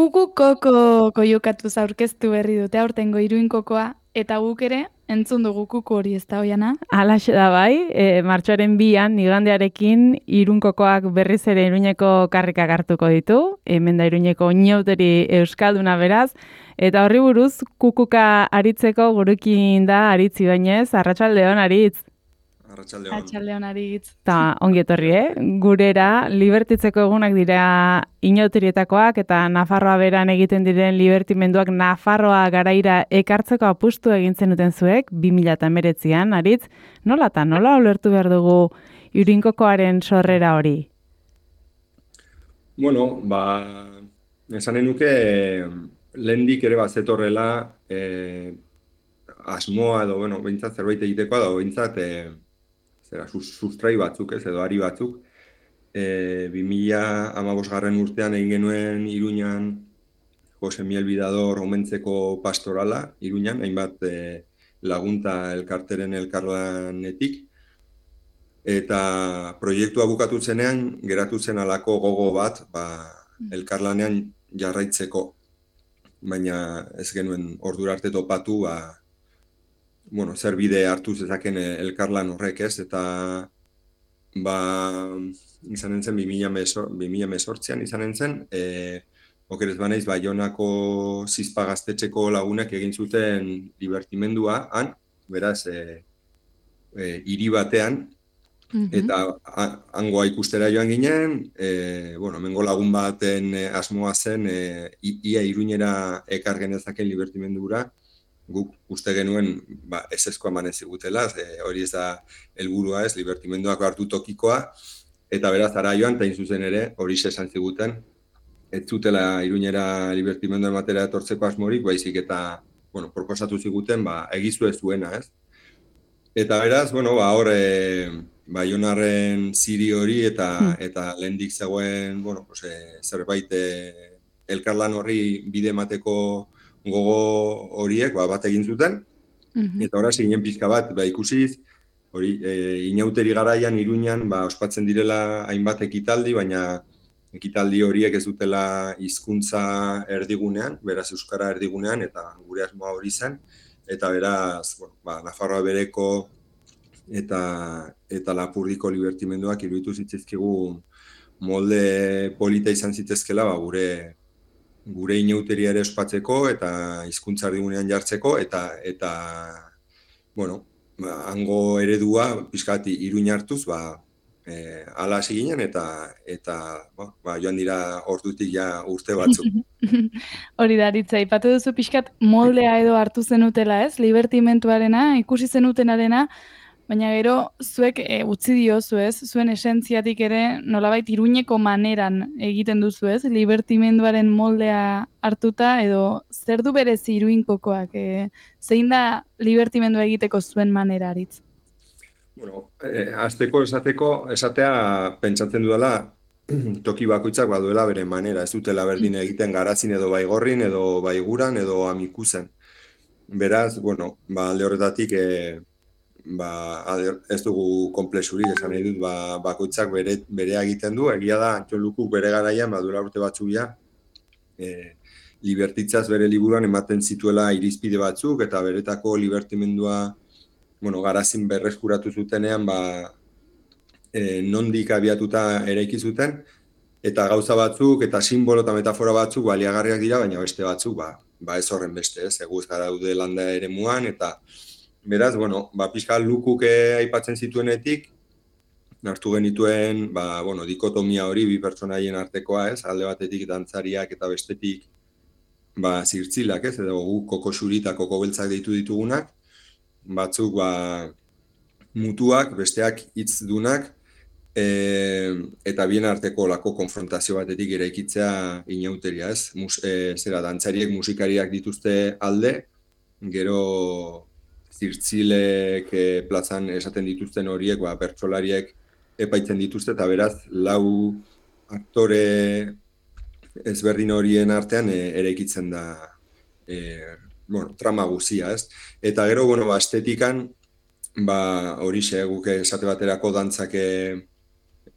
Kuku koko koiukatuz aurkeztu berri dute aurtengo Iruin kokoa, eta guk ere entzun dugu kuku hori, ez da, Oiana? Halaxe da bai, martxoaren 2an, igandearekin, Irun kokoak berriz ere Iruñeko karrikak hartuko ditu, hemen da Iruñeko inauteri euskalduna beraz, eta horri buruz kukuka aritzeko gurekin da Aritz Ibañez, arratsaldeon Aritz. Arratsaldeon Aritz. Ta ongi etorri, gurera libertitzeko egunak dira inauterietakoak eta Nafarroa beran egiten diren libertimenduak Nafarroa garaira ekartzeko apustu egin zenuten zuek 2019an, Aritz. Nola ulertu behar dugu Iruinkokoaren sorrera hori? Bueno, esanen nuke lehendik ere zetorrela asmoa edo, behintzat zerbait egitekoa da, behintzat sustrai batzuk, edo ari batzuk. 2015 urtean egin genuen Iruñan Jose Miel Bidador omentzeko pastorala, Iruñan, hainbat lagunta elkarteren elkarlanetik. Eta proiektua bukatu zenean, geratu zen alako gogo bat, elkarlanean jarraitzeko. Baina ez genuen ordura arte topatu, zer bide hartu zezaken elkarlan horrek, ez? Eta izanen zen 2018an izanen zen, okerez banaiz Baionako Zizpa gaztetxeko lagunak egin zuten divertimendua, han, beraz, hiri batean, eta hangoa ikustera joan ginen, hemengo lagun baten asmoa zen, ia Iruñera ekar genezaken divertimendura, guk uste genuen ezezkoa eman ezigutela, hori ez da helburua ez, libertimenduak hartu tokikoa, eta beraz ara joan, eta zuzen ere, hori esan ziguten, ez zutela Iruñera libertimendua ematera etortzeko asmorik, baizik eta, proposatu ziguten, egizu ez zuena, ez? Eta beraz, hor, Baionarren ziri hori eta lehendik zegoen, zerbait elkarlan horri bide emateko gogo horiek bat egin zuten, eta horaz ginen pixka bat ikusiz, hori inauteri garaian Iruñan ospatzen direla hainbat ekitaldi, baina ekitaldi horiek ez dutela hizkuntza erdigunean, beraz euskara erdigunean, eta gure asmoa hori zen, eta beraz, Nafarroa bereko eta Lapurdiko libertimenduak iruditu zitzizkigu molde polita izan zitezkela gure inauteria ere ospatzeko eta hizkuntza erdigunean jartzeko eta hango eredua pixkati Iruña hartuz hala hasi ginen eta joan dira ordutik ja urte batzuk. Hori da, Aritz, aipatu duzu pixkat moldea edo hartu zenutela, ez? Libertimentuarena, ikusi zenutenarena, baina gero zuek utzi diozu, ez? Zuen esentziatik ere nolabait Iruñeko maneran egiten duzu, ez? Libertimenduaren moldea hartuta edo zer du berezi Iruinkokoak? Zein da libertimendua egiteko zuen manera, Aritz? Hasteko esatea pentsatzen dudala toki bakoitzak baduela bere manera, ez dutela berdin egiten Garazin edo Baigorrin edo Baiguran edo Amikuzen. Beraz, alde horretatik ez dugu konplexurik, esan nahi dut, bakoitzak berea egiten du, egia da, Antxolukuk bere garaian, duela urte batzuk ja, libertitzaz bere liburuan ematen zituela irizpide batzuk, eta beretako libertimendua, Garazin berreskuratu zutenean, nondik abiatuta eraiki zuten, eta gauza batzuk, eta simbolo eta metafora batzuk baliagarriak dira, baina beste batzuk, ez horren beste, eguz gara daude landa ere muan, eta beraz, pixka Lukuk aipatzen zituenetik, hartu genituen, dikotomia hori bi pertsonaien artekoa, alde batetik dantzariak eta bestetik zirtzilak, edo guk koko xuri eta koko beltzak deitu ditugunak, batzuk mutuak, besteak hitzdunak, eta bien arteko lako konfrontazio batetik eraikitzea inauteria, dantzariek musikariak dituzte alde, gero zirtzilek plazan esaten dituzten horiek, pertsolariek epaitzen dituzte, eta beraz, lau aktore ezberdin horien artean eraikitzen da trama guzia, ez? Eta gero, estetikan, horixe, guk esate baterako dantzak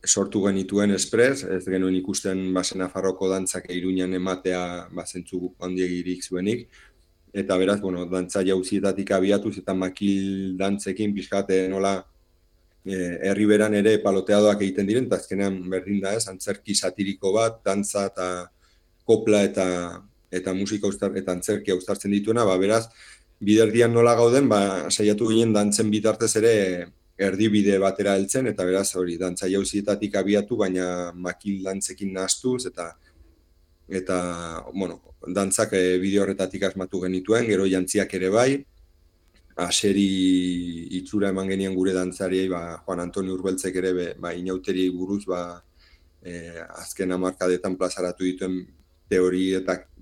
sortu genituen espres, ez genuen ikusten Nafarroko dantzak Iruñan ematea zentzu handiegirik zuenik, eta beraz, dantza jauzietatik abiatuz eta makil dantzekin pixkate nola herriberan ere paloteadoak egiten diren, eta azkenean berdin da ez, antzerki satiriko bat, dantza eta kopla eta musika eta antzerkia uztartzen dituena, beraz, biderdian nola gauden, saiatu ginen dantzen bitartez ere erdibide batera heltzen, eta beraz hori, dantza jauzietatik abiatu, baina makil dantzekin nahastuz, eta dantzak bideo horretatik asmatu genituen, gero jantziak ere bai, aseri itxura eman genien gure dantzariei, Juan Antonio Urbeltzek ere, inauteri buruz, azken hamarkadetan plazaratu dituen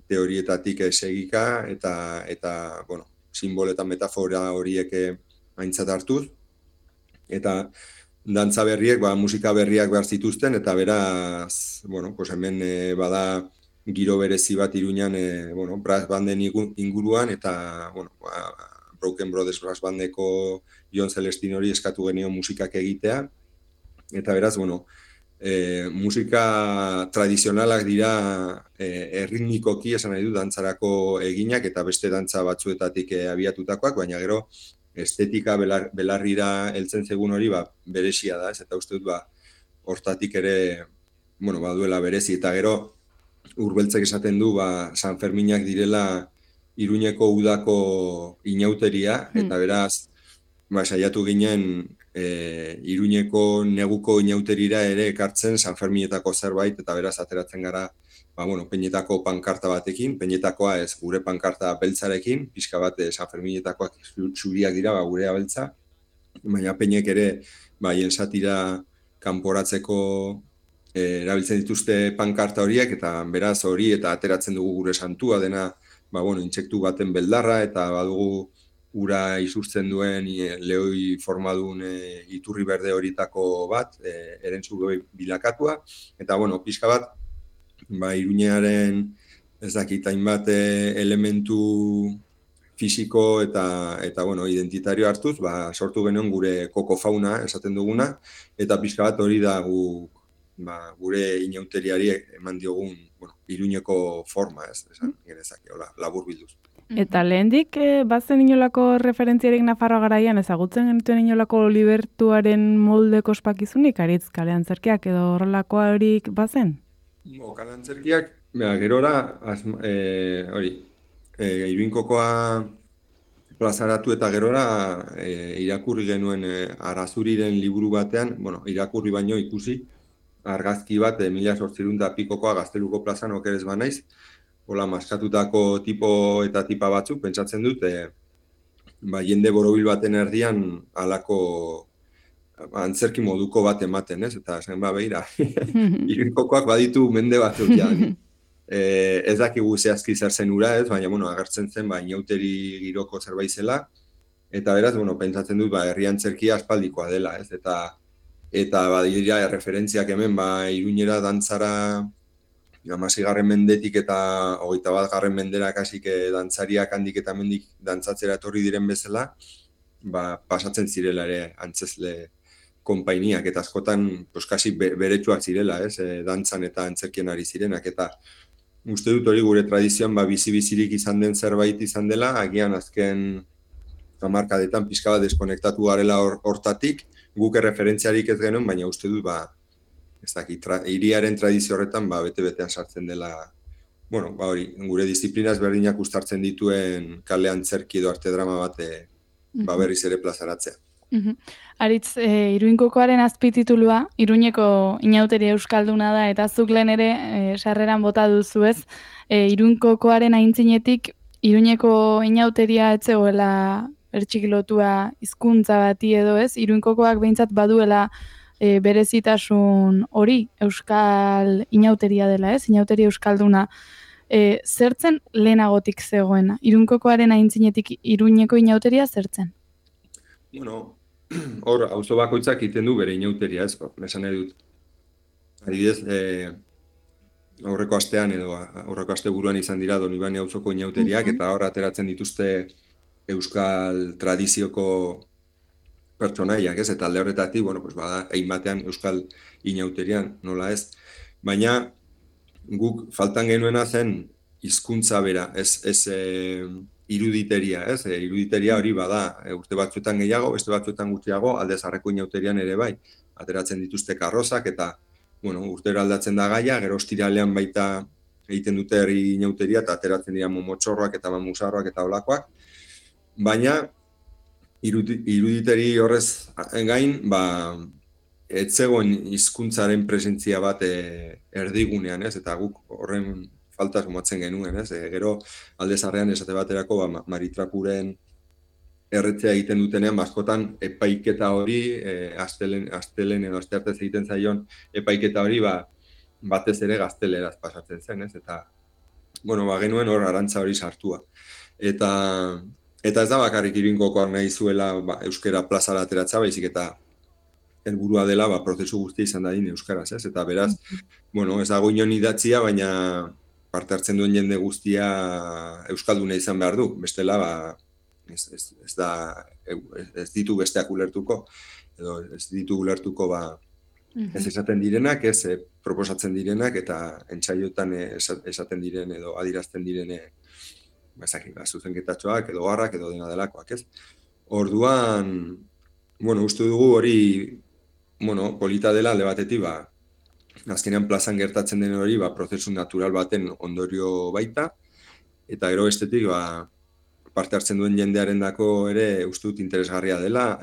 teorietatik segika, eta simbolo eta metafora horiek aintzat hartuz, eta dantza berriek, musika berriak behar zituzten, eta beraz, hemen bada giro berezi bat Iruñan, brass banden inguruan, eta, Broken Brothers Brass Bandeko Jon Celestinori eskatu genion musikak egitea, eta beraz, musika tradizionalak dira erritmikoki esan nahi du dantzarako eginak, eta beste dantza batzuetatik abiatutakoak, baina gero estetika belarrira heltzen zegun hori berezia da, eta uste dut hortatik ere baduela berezi, eta gero Urbeltzek esaten du San Ferminak direla Iruñeko udako inauteria, eta beraz saiatu ginen Iruñeko neguko inauterira ere ekartzen San Ferminetako zerbait, eta beraz ateratzen gara Peñetako pankarta batekin, Peñetakoa ez gure pankarta beltzarekin, pixka bat San Ferminetakoak zuriak dira gurea beltza, baina Peñek ere hien satira kanporatzeko erabiltzen dituzte pankarta horiek, eta beraz hori eta ateratzen dugu gure santua dena intsektu baten beldarra, eta badugu ura isurtzen duen lehoi formadun iturri berde horitako bat, erentzu bilakatua, eta pixka bat, Iruñearen ez dakit hainbat elementu fisiko eta identitario hartuz, sortu genuen gure kokofauna esaten duguna, eta pixka bat hori da gure inauteriari eman diogun Iruñeko forma, esan genezake, labur bilduz. Eta lehendik, bazen inolako referentziarik Nafarroa garaian, ezagutzen genituen inolako libertuaren moldeko ospakizunik, aritz kale antzerkiak edo horrelakoa horik bazen? Kale antzerkiak, gerora, Iruinkokoa plazaratu eta gerora irakurri genuen Arazuriren liburu batean, irakurri baino ikusi, argazki bat, 1800 pikokoa Gazteluko plazan okerez banaiz, maskatutako tipo eta tipa batzuk, pentsatzen dut, jende borobil baten erdian halako antzerki moduko bat ematen, ez? Eta esan behira, Iruinkokoak baditu mende batzuk jaan. Ez dakigu zehazki zer zen ura, ez? Baina, agertzen zen, inauteri giroko zerbait zela, eta beraz, pentsatzen dut, herri antzerkia aspaldikoa dela, ez? Eta badira referentziak hemen, Iruñera dantzara 16. mendetik eta 21. mendera kasik dantzariak handik eta mendik dantzatzera etorri diren bezala, pasatzen zirela ere antzezle konpainiak, eta askotan kasi beretsuak zirela, ez? Dantzan eta antzerkien ari zirenak, eta uste dut hori gure tradizioan bizi-bizirik izan den zerbait izan dela, agian azken hamarkadetan pixka bat deskonektatu garela hortatik, guk referentziarik ez genuen, baina uste dut ez dakit, hiriaren tradizio horretan bete-betean sartzen dela, hori, gure disiplinaz berdinak uztartzen dituen kale antzerki edo arte drama bat berriz ere plazaratzea. Aritz, Iruinkokoaren azpititulua, Iruñeko inauteria euskalduna da, eta zuk lehen ere sarreran bota duzu ez, Iruinkokoaren aintzinetik Iruñeko inauteria etzegoela ertxikilotua hizkuntza bati edo ez, Iruinkokoak behintzat baduela berezitasun hori euskal inauteria dela, ez? Inauteria euskalduna. Zertzen lehenagotik zegoena? Iruinkokoaren aintzinetik Iruñeko inauteria zertzen? Hor, auzo bakoitzak egiten du bere inauteria, ez? Esan nahi dut. Adibidez, aurreko astean edo aurreko asteburuan izan dira Donibane auzoko inauteriak, eta hor ateratzen dituzte euskal tradizioko pertsonaiak, ez? Eta alde horretatik, bueno, pues bada, egin batean Euskal Inauterian, nola ez? Baina, guk faltan genuena zen hizkuntza bera, ez iruditeria, ez? Iruditeria hori bada, urte batzuetan gehiago, beste batzuetan gutxiago, Alde Zaharreko Inauterian ere bai, ateratzen dituzte karrozak, eta, bueno, urtero aldatzen da gaia, gero ostiralean baita egiten dute herri inauteria, eta ateratzen dira momotxorroak eta mamusarroak eta olakoak, baina iruditeri horrez gain, ez zegoen hizkuntzaren presentzia bat erdigunean, ez? Eta guk horren falta sumatzen genuen, ez? Gero Alde Zaharrean esate baterako Maritrakuren erretzea egiten dutenean, askotan epaiketa hori, astelen edo asteartez egiten zaion epaiketa hori, batez ere gazteleraz pasatzen zen, ez? Eta, bueno, genuen hor arantza hori sartua. Eta ez da bakarrik Iruinkokoak nahi zuela euskara plazara ateratza, baizik eta helburua dela prozesu guztia izan dadin euskaraz, ez? Eta beraz, bueno, ez dago inon idatzia, baina parte hartzen duen jende guztia euskalduna izan behar du. Bestela, ez ditu besteak ulertuko, edo ez ditu ulertuko ez esaten direnak, ez proposatzen direnak, eta entsaiotan esaten diren edo adirazten direne zuzenketatxoak edo garrak edo dena delakoak, ez? Orduan, bueno, uste dugu hori, bueno, polita dela alde batetik, azkenean plazan gertatzen den hori, prozesu natural baten ondorio baita, eta gero bestetik, parte hartzen duen jendearendako ere uste dut interesgarria dela,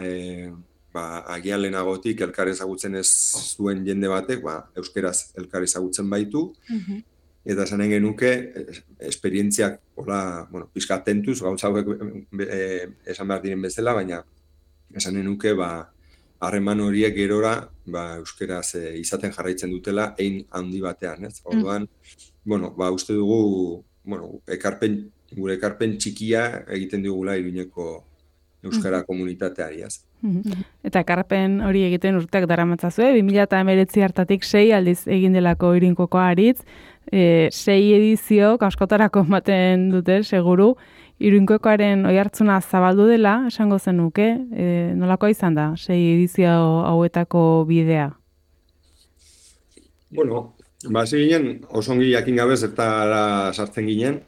agian lehenagotik elkar ezagutzen ez zuen jende batek, euskeraz elkar ezagutzen baitu, eta esanen genuke, esperientziak, pixka tentuz, gauza hauek esan behar diren bezala, baina esanen nuke, harreman horiek gerora, euskeraz izaten jarraitzen dutela, ein handi batean, ez? Orduan, uste dugu, gure ekarpen txikia egiten digula Iruñeko euskara komunitateari, ez? Eta ekarpen hori egiten urteak daramatzazue, 2019 hartatik 6 aldiz egin delako Iruñekokoa aritz, 6 edizio askotarako ematen dute, seguru, Iruñekoaren oihartzuna zabaldu dela, esango zenuke, nolakoa izan da, 6 edizio hauetako bidea? Bueno, hasi ginen, oso ongi jakin gabe zertara sartzen ginen,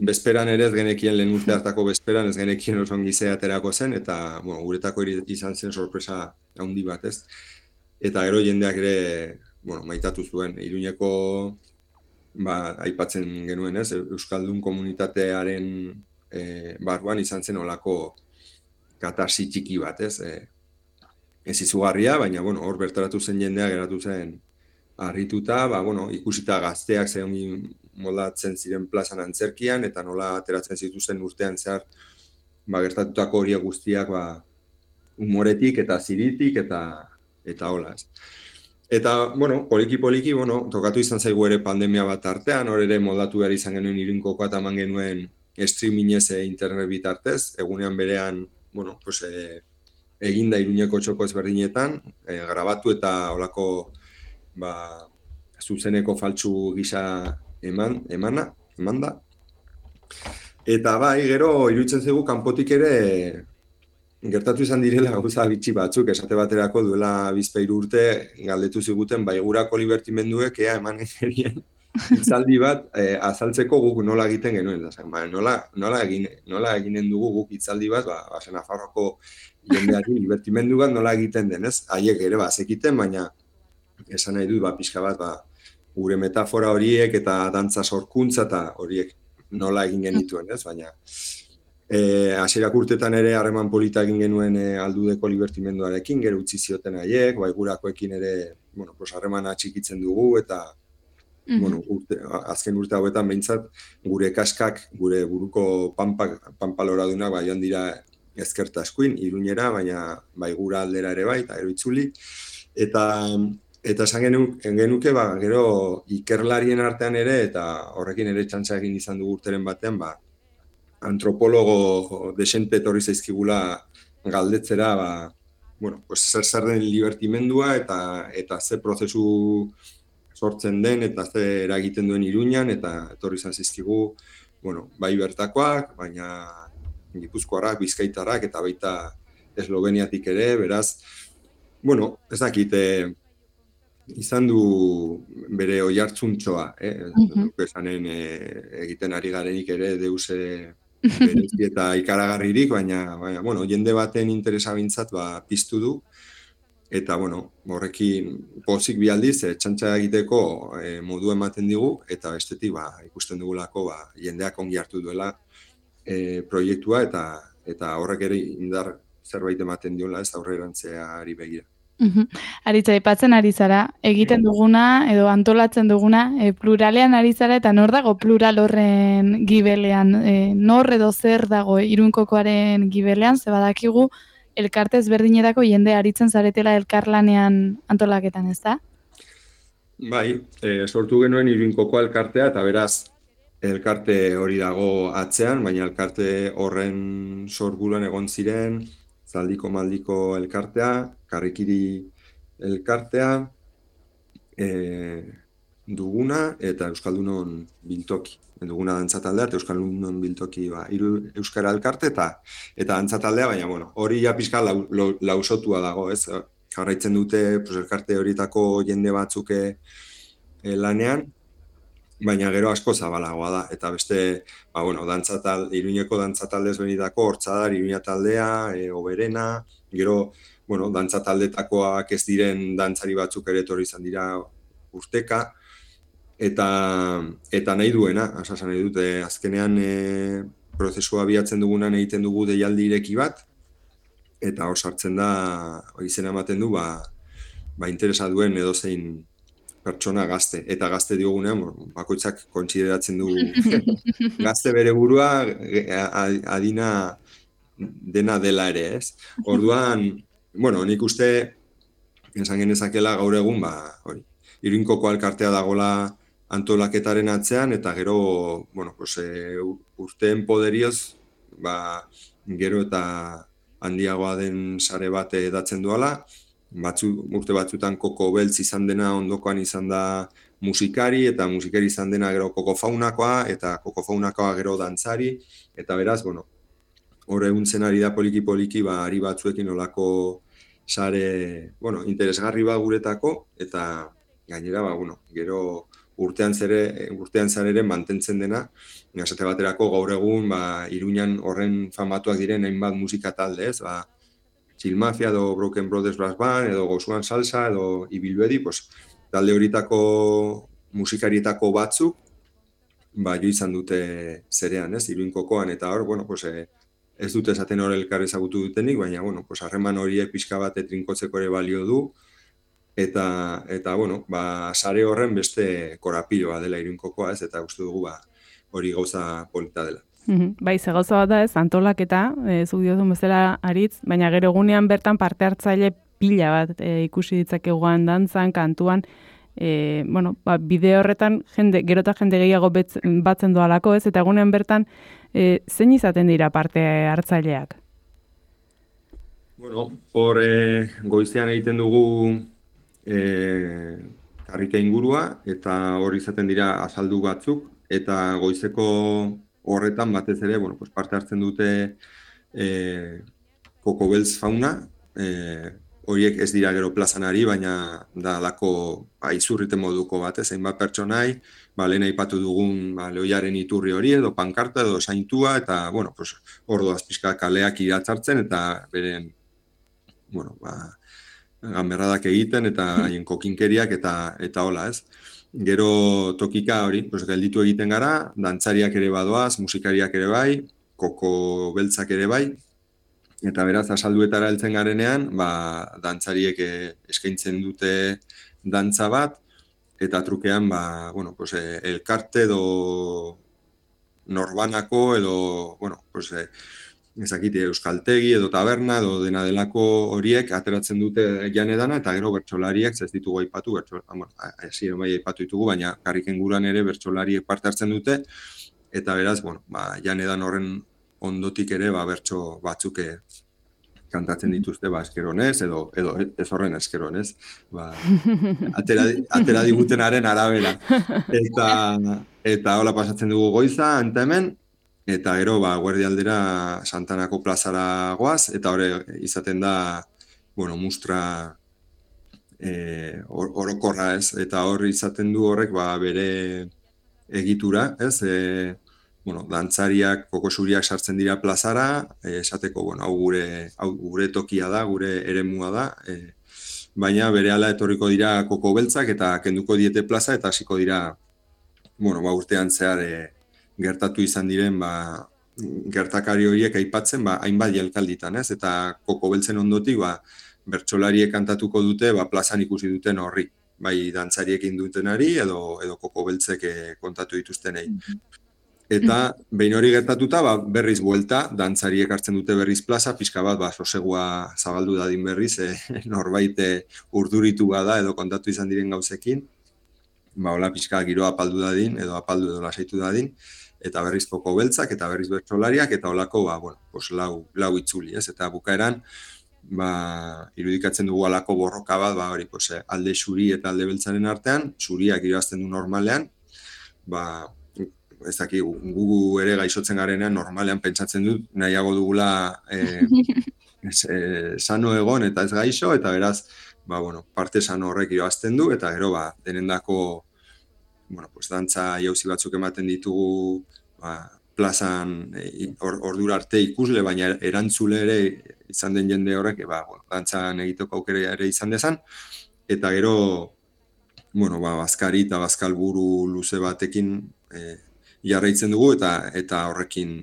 bezperan ere ez genekien lehen urte hartako bezperan ez genekien oso ongi aterako zen, eta guretako izan zen sorpresa handi bat, ez? Eta gero jendeak ere, maitatu zuen, Iruñeko aipatzen genuen, ez? Euskaldun komunitatearen barruan izan zen olako katarsi txiki bat, ez? Ez izugarria, baina hor bertaratu zen jendea geratu zen harrituta, ikusita gazteak zehongi moldatzen ziren plazan antzerkian, eta nola ateratzen zituzen urtean zehar gertatutako horiek guztiak humoretik eta ziritik eta hola, ez. Eta, poliki-poliki, tokatu izan zaigu ere pandemia bat artean, hor ere moldatu behar izan genuen Iruñekokoa eta eman genuen streamingez internet bitartez, egunean berean, eginda Iruñeko txoko ezberdinetan, grabatu eta holako zuzeneko faltsu gisa eman da. Eta gero iruditzen zaigu kanpotik ere gertatu izan direla gauza bitxi batzuk, esate baterako duela 2-3 urte galdetu ziguten baigurako libertimenduek eman gerien hitzaldi bat azaltzeko guk nola egiten genuen. Nola eginen dugu guk hitzaldi bat, Nafarroako jendeari libertimendu bat nola egiten denez. Haiek ere zekiten, baina esan nahi dut, pixka bat, gure metafora horiek eta dantza sorkuntza eta horiek nola egin genituen, ez? Baina, hasierak urtetan ere harreman polita egin genuen aldudeko libertimenduarekin, gero utzi zioten haiek, baigurakoekin ere, harremana txikitzen dugu, eta, azken urte hauetan behintzat, gure kaskak, gure buruko pampaloradunak, joan dira ezkerta eskuin, Iruñera, baina baigura aldera ere bai, eta gero itzuli, Eta esan genuke, gero ikerlarien artean ere, eta horrekin ere txantxa egin izan dugu urteren batean, antropologo desente etorri zaizkigula galdetzera, zer den libertimendua eta ze prozesu sortzen den, eta ze eragiten duen Iruñan, eta etorri zaizkigu, bai bertakoak, baina Gipuzkoarrak, Bizkaitarrak, eta baita Esloveniatik ere, beraz, bueno, ez dakit, izan du bere oihartzuntxoa, esanen egiten ari garenik ere deuse berezi eta ikaragarririk, baina, bueno, jende baten interesa bintzat piztu du, eta, bueno, horrekin pozik bi aldiz, txantxa egiteko modu ematen digu, eta bestetik, ikusten dugulako, jendeak ongi hartu duela proiektua, eta horrek ere indar zerbait ematen diola, ez aurrerantzeari begira. Aritza, aipatzen ari zara, egiten duguna edo antolatzen duguna pluralean ari zara eta nor dago plural horren gibelean, nor edo zer dago Iruinkokoaren gibelean, ze badakigu elkarte ezberdinetako jende aritzen zaretela elkarlanean antolaketan, ez da? Bai, sortu genuen Iruinkokoa elkartea eta beraz elkarte hori dago atzean, baina elkarte horren sorburuan egon ziren Zaldiko Maldiko elkartea, Karrikiri elkartea, Duguna eta Euskaldunon Biltoki. Duguna dantzataldea eta Euskaldunon Biltoki Euskara elkarte eta dantzataldea, baina bueno, hori ja pixka lausotua dago, ez? Jarraitzen dute elkarte horietako jende batzuk lanean, baina gero asko zabalagoa da, eta beste, Iruñeko dantzatalde ezberdinetako, Hortzadar, Iruña taldea, Oberena, gero, dantzataldetakoak ez diren dantzari batzuk ere etorri izan dira urteka, eta nahi duena, asasan nahi dute, azkenean prozesua abiatzen dugunan egiten dugu deialdi ireki bat, eta hor sartzen da, izena ematen du, interesa duen edozein pertsona gazte, eta gazte diogunean, bakoitzak kontsideratzen du gazte bere burua adina dena dela ere, ez? Orduan, nik uste, esan genezakela gaur egun, Iruinkoko elkartea dagola antolaketaren atzean, eta gero, urteen poderioz, gero eta handiagoa den sare bat edatzen duala, urte batzutan Koko Beltz izan dena ondokoan izan da musikari, eta musikari izan dena gero Koko Faunakoa, eta Koko Faunakoa gero dantzari, eta beraz, hor eguntzen ari da poliki-poliki, ari batzuekin olako sare, interesgarri bat guretako, eta gainera, gero urtean zarere mantentzen dena, esate baterako gaur egun, Iruñan horren famatuak diren hainbat musika talde, ez, Chill Mafia edo Broken Brothers Brass Band edo Gozuan Salsa edo Ibilbedi, talde horitako musikarietako batzuk jo izan dute zerean, ez, Iruinkokoan, eta hor, ez dute esaten hor elkar ezagutu dutenik, baina, harreman horiek pixka bat trinkotzeko ere balio du, eta sare horren beste korapiloa dela Iruinkokoa, ez, eta uste dugu hori gauza polita dela. Bai, ze gauza bat da ez, antolaketa, zuk diozun bezala Aritz, baina gero egunean bertan parte hartzaile pila bat ikusi ditzakeguan dantzan, kantuan, bideo horretan gero eta jende gehiago batzen doalako, ez, eta egunean bertan zein izaten dira parte hartzaileak? Hor goizean egiten dugu karrika ingurua, eta hor izaten dira azaldu batzuk, eta goizeko horretan batez ere, parte hartzen dute Koko Beltz fauna, horiek ez dira gero plazan ari, baina da lako izurrite moduko bat, hainbat pertsonai, lehen aipatu dugun lehoiaren iturri hori, edo pankarta, edo saintua, eta, ordu azpizka kaleak iratzartzen, eta beren, ganberradak egiten, eta haien kokinkeriak, eta hola, ez? Gero tokika hori, gelditu egiten gara, dantzariak ere badoaz, musikariak ere bai, Koko Beltzak ere bai, eta beraz, asalduetara heltzen garenean, dantzariek eskaintzen dute dantza bat, eta trukean, elkarte edo norbanako edo, ezakite euskaltegi edo taberna edo dena delako horiek ateratzen dute janedana, eta gero bertsolariak ez ditugu aipatu, aipatu ditugu, baina karriken guran ere bertsolariek parte hartzen dute, eta beraz, janedan horren ondotik ere bertso batzuk kantatzen dituzte eskeronez edo ez horren eskeronez, atera digutenaren arabera. Eta hola pasatzen dugu goiza, anta hemen, eta gero, guerdi aldera Santanako plazara goaz, eta hori izaten da, mustra orokorra, ez? Eta hor izaten du horrek, bere egitura, ez? Dantzariak, kokosuriak sartzen dira plazara, esateko, hau gure tokia da, gure eremua da, baina berehala etorriko dira koko beltzak eta kenduko diete plaza eta hasiko dira, urtean zehar gertatu izan diren, gertakari horiek aipatzen, hainbat jelkalditan, ez? Eta koko beltzen ondotik, bertsolariek kantatuko dute, plazan ikusi duten horri, bai dantzariek indutenari edo koko beltzek kontatu dituztenei. Eta behin hori gertatuta, berriz buelta, dantzariek hartzen dute berriz plaza, pixka bat, sosegua zabaldu dadin berriz, norbait urduritu bada edo kontatu izan diren gauzekin, hola pixka giroa apaldu dadin, edo lasaitu dadin, eta berriz koko beltzak, eta berriz bertsolariak, eta holako, lau itzuli, ez? Eta bukaeran, irudikatzen dugu alako borroka bat, alde xuri eta alde beltzaren artean, xuriak irabazten du normalean, ez daki, gu ere gaixotzen garenean normalean pentsatzen dut, nahiago dugula sano egon eta ez gaixo, eta beraz, parte sano horrek irabazten du, eta gero, denendako, dantza jauzi batzuk ematen ditugu, plazan ordura arte ikusle, baina erantzule ere izan den jende horrek, dantzan egiteko aukera ere izan dezan, eta gero, bazkari eta bazkalburu luze batekin jarraitzen dugu, eta horrekin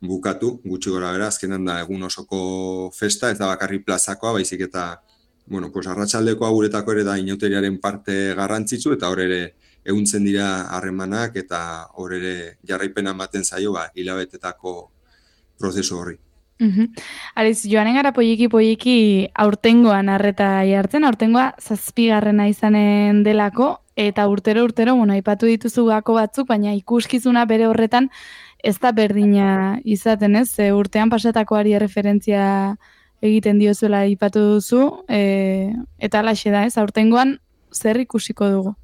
bukatu, gutxi gora bera, azkenan da egun osoko festa, ez da bakarri plazakoa, baizik eta, arratsaldekoa guretako ere da inauteriaren parte garrantzitsu, eta hor ere ehuntzen dira harremanak, eta hor ere jarraipena ematen zaio, hilabetetako prozesu horri. Ariz, joanen gara poiki aurtengoan arreta jartzen, aurtengoa 7. izanen delako, eta urtero, aipatu dituzu gako batzuk, baina ikuskizuna bere horretan ez da berdina izaten, ez? Urtean pasatakoari referentzia egiten diozuela aipatu duzu, eta alaxe da, ez? Aurtengoan zer ikusiko dugu?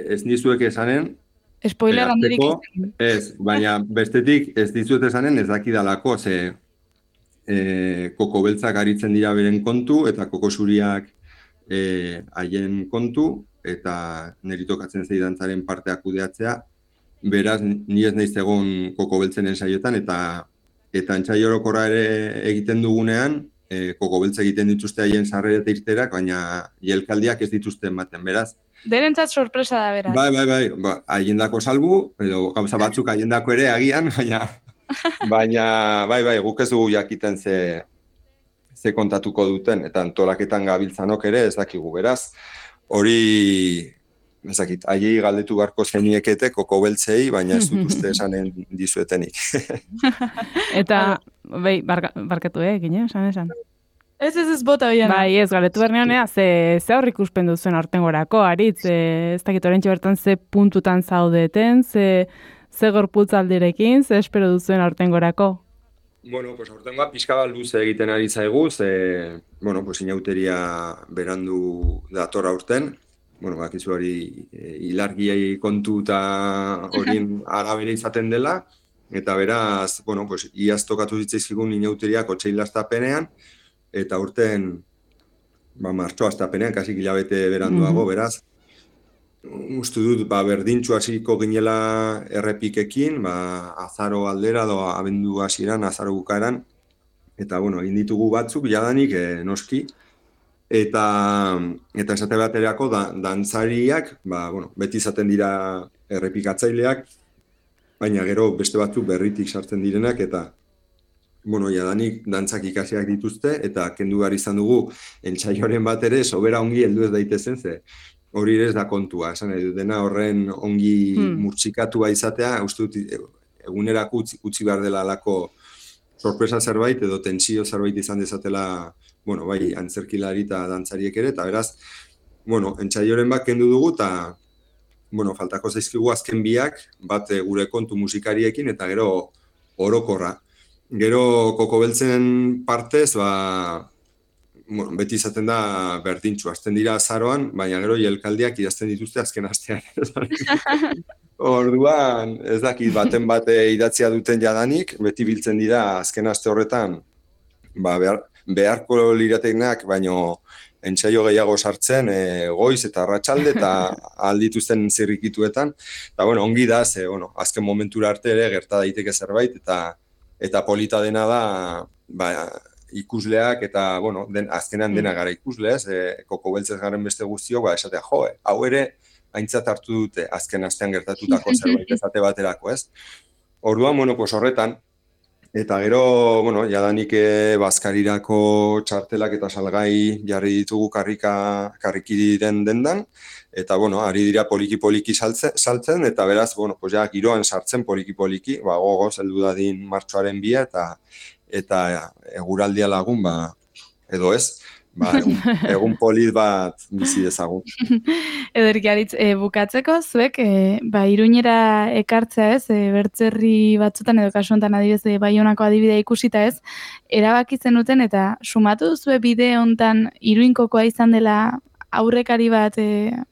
Ez nizuek esanen, spoiler handirik ez, baina bestetik ez dizuet esanen ez dakidalako, koko beltzak aritzen dira beren kontu, eta koko zuriak haien kontu, eta niri tokatzen zeidantzaren parteak kudeatzea, beraz, ni ez naiz egon koko beltzen ensaioetan, eta entzai orokorra ere egiten dugunean, koko beltz egiten dituzte haien sarrera eta irterak, baina jelkaldiak ez dituzte ematen, beraz. Derentzat sorpresa da, beraz. Bai, haiendako salbu, edo gauza batzuk haiendako ere agian, baina guk ez dugu jakiten ze kontatuko duten, eta antolaketan gabiltzanok ere ez dakigu, beraz. Hori, ezakit, haiei galdetu beharko zeniekete koko beltzei, baina ez dut uste esanen dizuetenik. Eta, barkatu gine, esan. Ez bota bian. Bai, ez, galdetu bernean, ze aurrik ikusten duzuen aurtengorako, Aritz, ez dakit orentxe bertan ze puntutan zaudeten, ze gorputz aldirekin, ze espero duzuen aurtengorako? Aurtengoa pixka bat luze egiten ari zaigu, inauteria berandu dator aurten, bakizu hori ilargiai kontu eta horien arabera izaten dela, eta beraz, iaz tokatu zitzaizkigun inauteriak otsail astapenean, eta urten martxo astapenean, kasik hilabete beranduago, beraz, uste dut, berdintxu hasiko ginela errepikekin, azaro aldera, abendu hasieran, azaro bukaeran, eta, egin ditugu batzuk, jadanik, noski, eta esate baterako dantzariak, beti izaten dira errepikatzaileak, baina gero beste batzuk berritik sartzen direnak, eta, jadanik dantzak ikasiak dituzte, eta kendu behar izan dugu, entsaioren bat ere, sobera ongi heldu ez daitezen, hori ere ez da kontua, esan edo dena horren ongi murtsikatua izatea, uste dut egunerako utzi behar dela alako sorpresa zerbait edo tentsio zerbait izan dezatela, bai, antzerkilari eta dantzariek ere, eta beraz, entsaioren bat kendu dugu, eta, faltako zaizkigu azken biak, bat gure kontu musikariekin, eta gero orokorra. Gero koko beltzen partez, beti izaten da berdintxu, hasten dira azaroan, baina gero jelkaldiak idazten dituzte azken astean. Orduan, ez dakit, baten bate idatzia duten jadanik, beti biltzen dira azken aste horretan, beharko lirateknak, baino entsaio gehiago sartzen, goiz eta arratsalde eta aldituzten zirrikituetan. Eta, ongi da, azken momentura arte ere gerta daiteke zerbait, eta polita dena da, ikusleak eta, azkenean dena gara ikusleaz, koko beltzez garen beste guztiok, esatea, hau ere, aintzat hartu dute azken astean gertatutako zerbait esate baterako, ez? Orduan, horretan, eta gero, jadanik bazkarirako txartelak eta salgai jarri ditugu karriki den dendan, eta, ari dira poliki-poliki saltzen, eta beraz, giroan sartzen poliki-poliki, gogoz, heldu dadin martxoaren bia, eta eguraldia lagun, edo ez, egun polit bat bizi dezagun. Ederki Aritz, bukatzeko zuek, Iruñera ekartzea ez, bertzerri batzutan edo kasu honetan adibidez Baionako adibidea ikusita ez, erabaki zenuten eta sumatu duzue bide hontan Iruinkokoa izan dela aurrekari bat,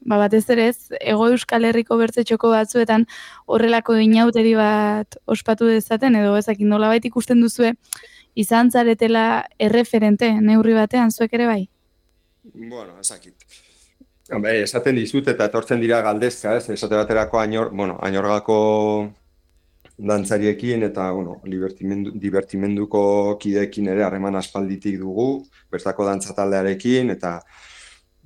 batez ere ez, Hego Euskal Herriko bertzetxoko batzuetan horrelako inauteri bat ospatu dezaten, edo ezak nolabait ikusten duzue, izan zaretela erreferente neurri batean, zuek ere bai? Ezakit. Esaten dizut eta etortzen dira galdezka, ez? Esate baterako Añorgako dantzariekin eta, divertimenduko kideekin ere harreman aspalditik dugu, bertako dantzataldearekin, eta,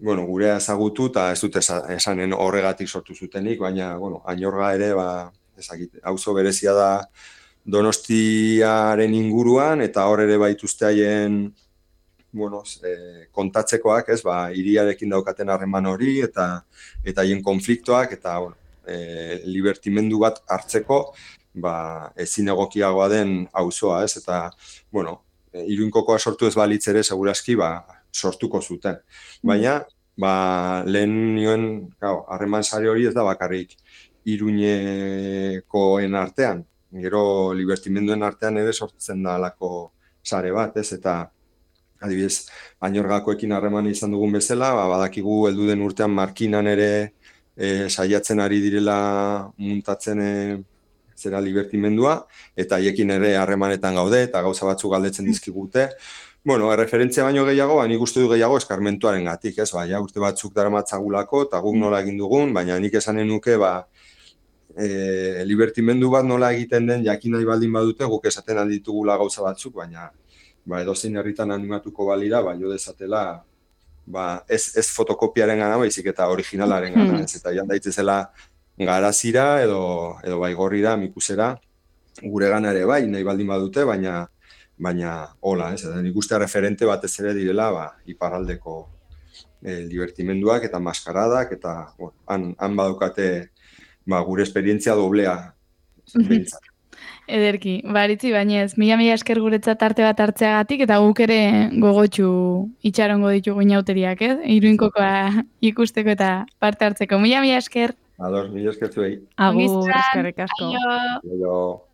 gurea ezagutu eta ez dut esanen horregatik sortu zutenik, baina, Añorga ere, ezakit, auzo berezia da Donostiaren inguruan, eta hor ere baituzte haien kontatzekoak, ez, hiriarekin daukaten harreman hori, eta haien konfliktoak, eta libertimendu bat hartzeko, ezin egokiagoa den auzoa, ez, eta, Iruinkokoa sortu ez balitz ere, segurazki, sortuko zuten. Baina, lehen nioen, harreman sare hori ez da bakarrik Iruñekoen artean, gero libertimenduen artean ere sortzen da alako sare bat, ez, eta adibidez, Añorgakoekin harreman izan dugun bezala, badakigu heldu den urtean Markinan ere saiatzen ari direla muntatzen zera libertimendua, eta haiekin ere harremanetan gaude, eta gauza batzuk galdetzen dizkigute. Erreferentzia baino gehiago, nik uste du gehiago eskarmentuaren gatik, ez, urte batzuk daramatzagulako, eta guk nola egin dugun, baina nik esanen nuke, libertimendu bat nola egiten den jakin nahi baldin badute guk esaten alditugula gauza batzuk, baina edozein herritan animatuko balira, jo dezatela ez fotokopiaren gana, baizik eta originalaren gana, ez eta jan daitzezela garazira edo baigorrira, mikusera, gure gana ere nahi baldin badute, baina hola, ez, nik uste referente batez ere direla iparraldeko libertimenduak eta maskaradak, eta han badukate gure esperientzia doblea bintzat. Ederki, Aritzi, bainez, mila esker guretzat arte bat hartzeagatik, eta guk ere gogotxu itxarongo ditugu inauteriak, Iruinkokoa ikusteko eta parte hartzeko. Mila esker. Mila esker zuei. Agur, eskerrik asko. Aio.